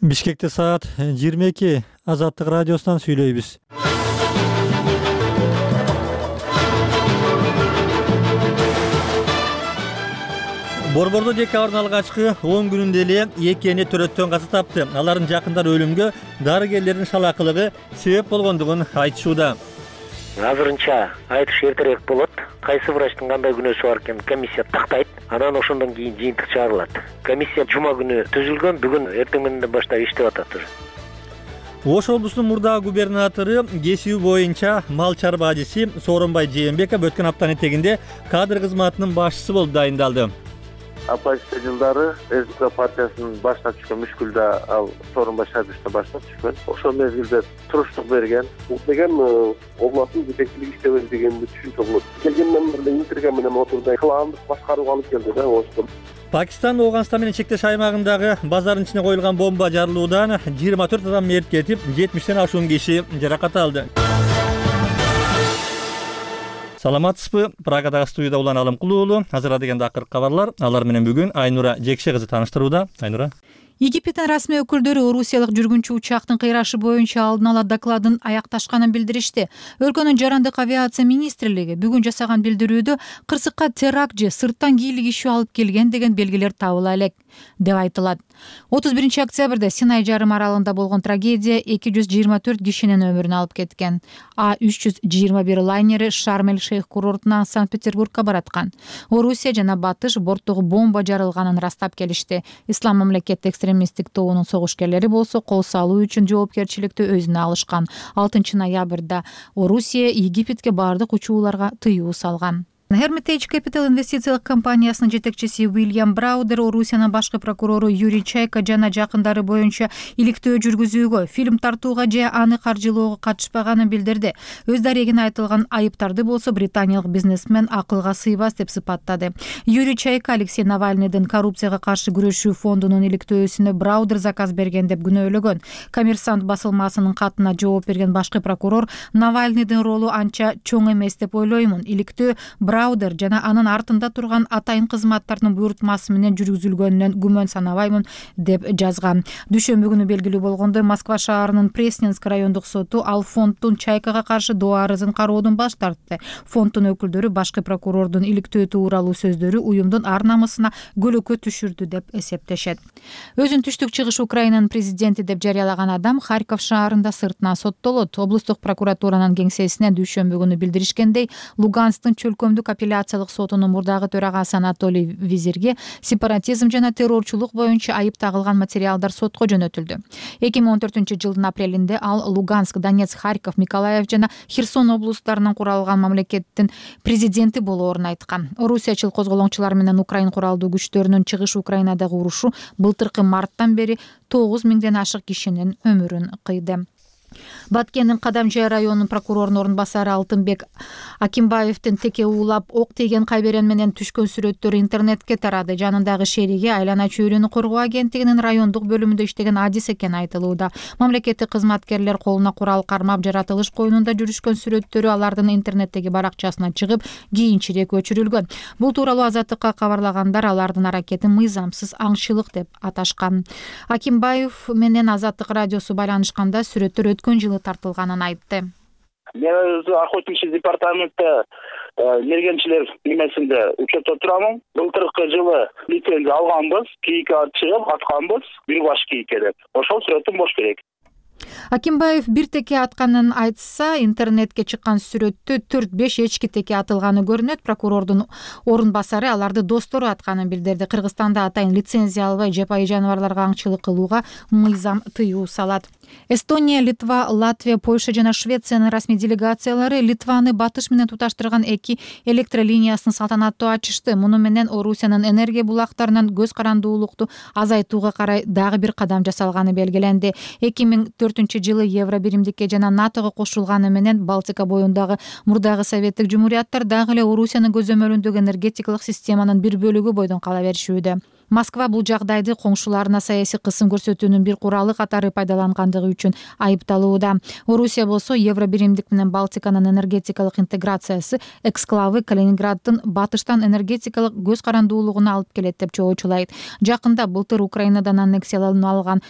Бишкекте саат 22 Азаттык радиосунан сүйлөйбүз. Борбордо декабрдын алгачкы 10 күнүндө эле 2 эне төрөттөн каза тапты. Алардын жакындары өлүмгө дарыгерлердин шалаакылыгы себеп болгондугун айтышууда. Азырынча айтыш эртерээк болот. Кайсы врачтын кандай күнөөсү бар экенин комиссия тактайт. Анан ошондон кийин жыйынтык чыгарылат. Комиссия жума күнү түзүлгөн, бүгүн эртең мененден баштап иштеп атат уже. Ош облусунун мурдагы губернатору кесиби боюнча мал чарба ажиси Сооронбай Жээнбеков өткөн аптанын этегинде кадр кызматынын башчысы болуп дайындалды. Апачта жылдары РК партиясынын башына түшкөн мүшкүлдө ал Сооронбай Шайбичтин башына түшкөн. Ошол мезгилде туруштук берген. Бул деген областын жетекчилиги иштебеди дегенди түшүнчү болот. Келгенден бери интервью менен отурду. Кландык башкарууга алып келди да Ошто. Пакистан Ооганстан менен чектеш аймагындагы базардын ичине коюлган бомба жарылуудан 24 адам мерт кетип, 70ден ашуун киши жаракат алды. Саламатсызбы? Прагадагы студияда Улан Алымкулуу. Азыр деген акыркы кабарлар. Алар менен бүгүн Айнура Жекше кызы тааныштырууда. Айнура. Египеттин расмий өкүлдөрү орусиялык жүргүнчү учактын кыйрашы боюнча алдын ала докладын аякташканын билдиришти. Өлкөнүн жарандык авиация министрлиги бүгүн жасаган билдирүүдө кырсыкка теракт же сырттан кийлик ишөө алып келген деген белгилер табыла элек деп айтылат. 31 октябрда Синай жарым аралында болгон трагедия 224 кишинин өмүрүн алып кеткен. А321 лайнери Шарм-эль-Шейх курортунан Санкт-Петербургка бараткан. Орусия жана Батыш борттогу бомба жарылганын растап келишти. Ислам мамлекеттик экстремисттик тобунун согушкерлери болсо кол салуу үчүн жоопкерчиликти өзүнө алышкан. 6 ноябрда Орусия Египетке бардык учууларга тыюу салган. Hermitage Capital инвестициялык компаниясынын жетекчиси Уильям Браудер Орусиянын башкы прокурору Юрий Чайка жана жакындары боюнча иликтөө жүргүзүүгө, фильм тартууга же аны каржылоого катышпаганын билдирди. Өз дарегине айтылган айыптарды болсо британиялык бизнесмен акылга сыйбас деп сыпаттады. Юрий Чайка Алексей Навальныйдын коррупцияга каршы күрөшүү фондунун иликтөөсүнө Браудер заказ берген деп күнөөлөгөн. Коммерсант басылмасынын катына жооп берген башкы прокурор Навальныйдын ролу анча чоң эмес деп ойлоймун. Иликтөө Браудер жана анын артында турган атайын кызматтардын буйртмасы менен жүргүзүлгөнүнөн күмөн санабаймын деп жазган. Дүйшөмбү күнү белгилүү болгондой Москва шаарынын Пресненск райондук соту ал фонддун Чайкага каршы доо арызын кароодон баш тартты. Фонддун өкүлдөрү башкы прокурордун иликтөө тууралуу сөздөрү уюмдун ар намысына көлөкө түшүрдү деп эсептешет. Өзүн түштүк чыгыш Украинанын президенти деп жарыялаган адам Харьков шаарында сыртынан соттолот. Облустук прокуратуранын кеңсесине дүйшөмбү күнү билдиришкендей, Луганскдын чөлкөмдүк апелляциялык сотунун мурдагы төрагасы Анатолий Визирге сепаратизм жана террорчулук боюнча айып тагылган материалдар сотко жөнөтүлдү. 2014-жылдын апрелинде ал Луганск, Донецк, Харьков, Миколаев жана Херсон облустарынан куралган мамлекеттин президенти болоорун айткан. Орусиячыл козголоңчулар менен Украин куралдуу күчтөрүнүн чыгыш Украинадагы урушу былтыркы марттан бери 9000ден ашык кишинин өмүрүн кыйды. Баткендин Кадамжай районунун прокурорунун орун басары Алтынбек Акимбаевдин теке уулап ок тийген кайберен менен түшкөн сүрөттөрү интернетке тарады. Жанындагы шериги айлана чөйрөнү коргоо агенттигинин райондук бөлүмүндө иштеген адис экени айтылууда. Мамлекеттик кызматкерлер колуна курал кармап жаратылыш коюнунда жүрүшкөн сүрөттөрү алардын интернеттеги баракчасына чыгып, кийинчерээк өчүрүлгөн. Бул тууралуу Азаттыкка кабарлагандар алардын аракетин мыйзамсыз аңчылык деп аташкан. Акимбаев менен Азаттык радиосу байланышканда сүрөттөр өткөн жылы тартылганын айтты. Мен өзү охотничий департаментте мергенчилер немесинде учетто турамын. Былтыркы жылы лицензия алганбыз, кийикке чыгып атканбыз, бир баш кийикке деп. Ошол сүрөтүм бош керек. Акимбаев бир теке атканын айтса, интернетке чыккан сүрөттө 4-5 эчки теке атылганы көрүнөт. Прокурордун орун басары аларды достору атканын билдирди. Кыргызстанда атайын лицензия албай жапайы жаныбарларга аңчылык кылууга мыйзам тыюу салат. Эстония, Литва, Латвия, Польша жана Швециянын расмий делегациялары Литваны Батыш менен туташтырган 2 электролиниясын салтанаттуу ачышты. Муну менен Орусиянын энергия булактарынан көз карандуулукту азайтууга карай дагы бир кадам жасалганы белгиленди. 2004-жылы Евро биримдикке жана НАТОго кошулганы менен Балтика боюндагы мурдагы советтик жумурияттар дагы эле Орусиянын көзөмөлүндөгү энергетикалык системанын бир бөлүгү бойдон кала беришүүдө. Москва бул жагдайды коңшуларына саясий кысым көрсөтүүнүн бир куралы катары пайдалангандыгы үчүн айыпталууда. Орусия болсо Евро биримдик менен Балтиканын энергетикалык интеграциясы эксклавы Калининграддын батыштан энергетикалык көз карандуулугуна алып келет деп чоочулайт. Жакында былтыр Украинадан аннексияланып алган